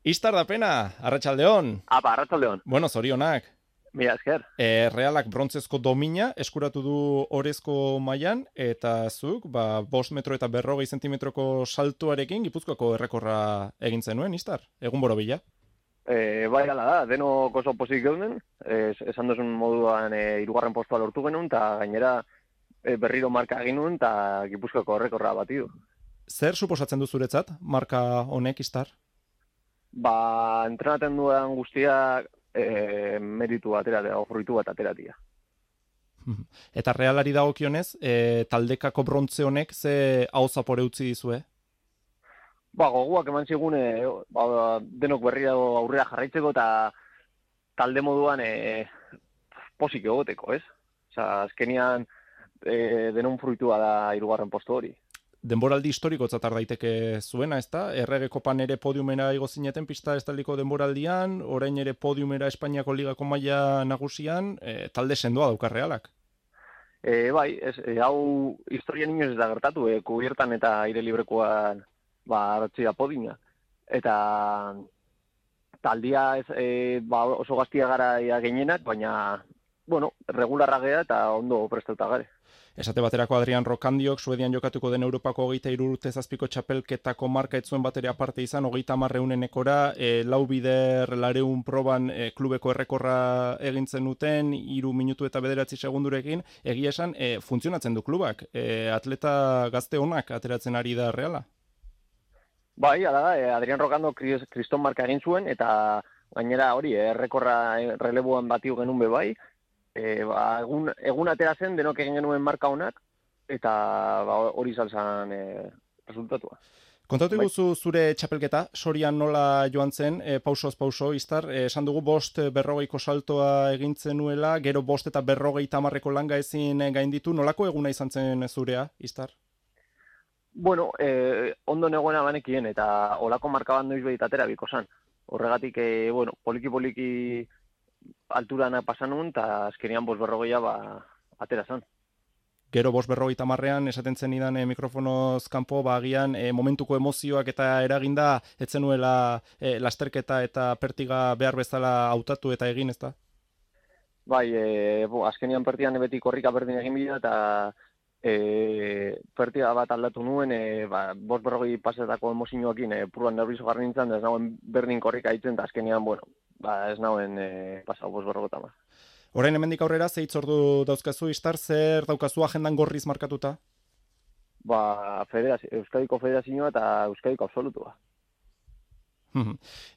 Istar da pena, arratsaldeon. Apa, arratsaldeon. Bueno, zorionak. Mila esker. Realak brontzezko domina eskuratu du orezko mailan eta zuk, 5 metro eta 40 zentimetroko saltoarekin Gipuzkoako errekorra egin zenuen, Istar. Egun borobila. Bai, hala da, denok oso pozik geunden, esan duzun moduan hirugarren postua lortu genuen, eta gainera berriro marka egin nuen, eta Gipuzkoako errekorra bati du. Zer suposatzen du zuretzat, marka honek, Istar? Entrenaten dudan guztiak meritu ateratea, fruitu bat ateratia. Eta realari dagokionez, taldekako brontze honek ze hau zapore utzi dizue? Goguak eman zigune, denok berriro aurrera jarraitzeko, eta talde moduan pozik egoteko, ez? Azkenian denon fruitua da hirugarren postu hori. Denboraldi historikotzat daiteke zuena, ezta? Errege kopan ere podiumera igo zineten pista estaldiko denboraldian, orain ere podiumera Espainiako ligako maila nagusian, talde sendoa dauka Realak. Bai, hau historian inoiz ez da gertatu, kubiertan eta aire librekoan hartzea podina. Eta taldia oso gaztia gara gehienak, baina, regularra gea eta ondo prestauta gare. Esate baterako Adrian Rokandiok, Suedian jokatuko den Europako 23 urte zazpiko txapelketako marka etzuen batere aparte izan, 30-reunenekora, 4 bider 200 proban klubeko errekorra egintzen duten, 3 minutu eta 9 segundurekin, egia esan, funtzionatzen du klubak. Atleta gazte honak ateratzen ari da Reala? Bai, ala da, Adrian Rokando kriston marka egin zuen, eta gainera hori, errekorra relebuan batiu genuen bebai, egun atera zen denok egin genuen marka honak, eta hori zalzan resultatua. Kontatu iguzu zure txapelketa, Sorian nola joan zen, pausoz pauso, Istar, esan dugu 5 saltoa egintzen nuela, gero 5 eta 50 langa ezin gainditu, nolako eguna izan zen zurea, Istar? Ondo negoena banekien, eta olako marka bat noiz behit atera biko zan. Horregatik, poliki-poliki alturana pasan nuen, eta azkenian 5:40 atera zan. Gero 5:50 esaten zen idan mikrofonoz kanpo, agian momentuko emozioak eta eraginda, etzen nuela lasterketa eta pertiga behar bezala hautatu eta egin, ezta? Bai, azkenian pertigan beti korrika berdin egin bila, eta pertiga bat aldatu nuen, 5:40 pasetako emozioakin puruan nervizo jarri nintzen, da ez nagoen berdin korrika ditzen, eta azkenian, ez nagoen pasau 5:50. Orain hemendik aurrera, ze hitzordu dauzkazu, Istar, zer daukazu agendan gorriz markatuta? Euskadiko federazioa eta Euskadiko absolutua.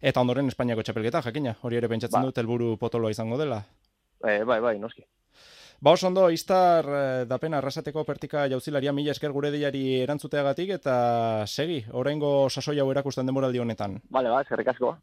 Eta ondoren Espainiako txapelketa, jakina, hori ere pentsatzen dut helburu potoloa izango dela. Bai, noski. Oso ondo, Istar, dapena arrasateko pertika jauzilaria, mila esker gure deiari erantzuteagatik, eta segi, oraingo sasoi hau erakusten denboraldi honetan. Eskerrik asko.